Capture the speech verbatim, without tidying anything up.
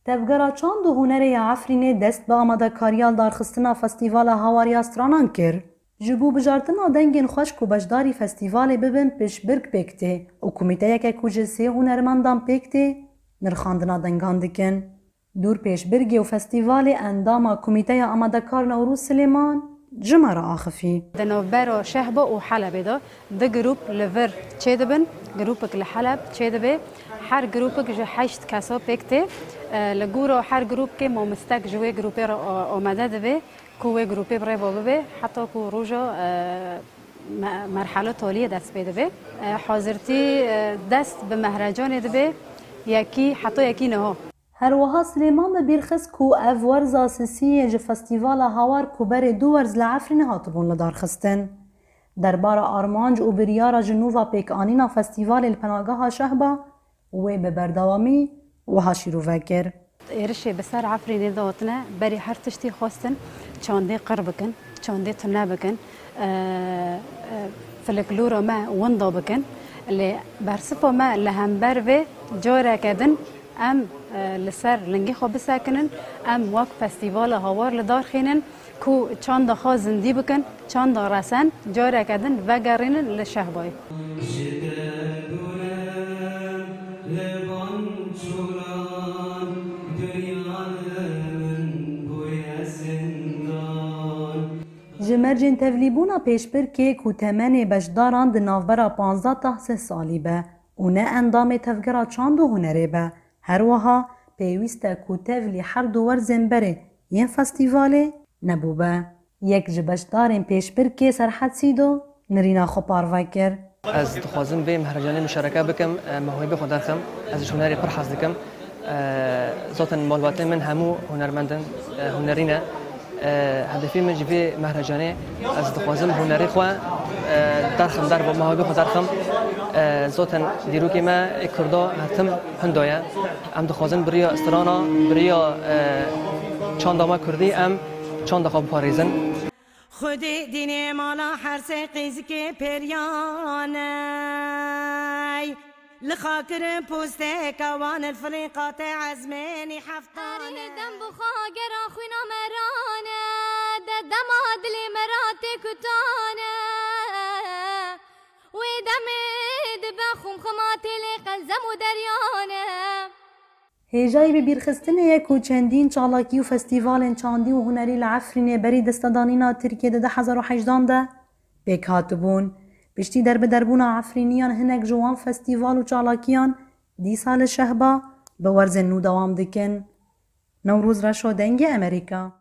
Tevgera Çand û Hunerê ya Efrînê dest bi amadekariya darxistina Festîvala Hawar ya Stranan kir. Ji bo bijartina dengên xweş ku beşdarî festîvalê bibin pêşbirk pêk tê û komîteyeke ku ji sê hunermendan pêk tê, nirxandina dengan dikin. Dûr pêşbirgê û festîvalê endama Komîteya Amadekar Newroz Silêman ji me re axifî. Di navbera Şehba û Helebê de du grûp li vir çêdibin, grûpek li Heleb çêdibe. Her grûpek ji heşt kesa pêk tê. E, li gora her grûpkê mamostek ji wê grûpê re, e, amade dibe ku wê grûpê bi rê ve bibe, heta ku roja, e, me-, merhela taliyê dest pê dibe. E, hazirtî, e, dest bi mehrecanê dibe, yekî, heta yekî niha. Her wiha Silêman bi bîr xist ku ev werza sisiyê ji Festîvala Hawar ku berê du werz li Efrînê hatibûn lidarxistin. Derbara armanc û biryara ji nû ve pêkanîna festîvalê li penageha Şehba wê bi berdewamî wiha şîrove kir. Êrişê bi ser Efrînê de hatine, berî her tiştî xwestin çandê qir bikin, çandê tune bikin, e, e, filiklora me winda bikin. Lê bersiva me li hember vê careke din em, e, li ser lingê xwe bisekinin, em wek festîvala Hawar li dar xînin ku çanda xwe zindî bikin, çanda resen careke din vegerînin li Şehbayê. Ji derdorem li van çoran dinya li min bûye zindan. Ji mercên tevlîbûna pêşbirkê ku temenê beşdaran di navbera panzdeh ta sih salî be û ne endamê Tevgera Çand û Hunerê be, her wiha pêwîst e ku tevlî her du werzên berê yên festîvalê nebûbe. Yek ji beşdarên pêşbirkê Serhed Sîdo nirîna xwe parve kir. Ez dixwazim vê mehrecanê muşareke bikim, e, mewhibê xwe derxim. Ez ji hunerê pir hez dikim. E, zaten malbatê min hemû hunermend in, e, hunerî ne. E, hedefê min ji vê mehrecanê, ez dixwazim hunerê xwe, e, derxim, derve, mewhibê xwe derxim. E, zaten dîrokê me ê Kurda her tim hinda ye. Em dixwazin bi riya strana, bi riya, e, çanda me Kurdî em çanda xwe biparêzin. Xwedê dînê mala her sê qîzikê peryaney. Li xakirin posteka wan il filîqate ezmênî heftane. Herî dem bi xwe gera xwîna merane, de dema dilê me ra tê kutane. Wê demê dibe xumxuma têlê qelzem û deryane. Hêjayî bibîrxistinê ye ku çendîn çalakî û festîvalên çandî û hunerî li Efrînê berî destedanîna Tirkiyê di du hezar û hejdan de pêk hatibûn. Piştî derbiderbûna Efrîniyan hinek ji wan festîval û çalakiyan dîsa li Şehba bi werzên nû dewam dikin. Newroz Reşo, Dengê Amerîka.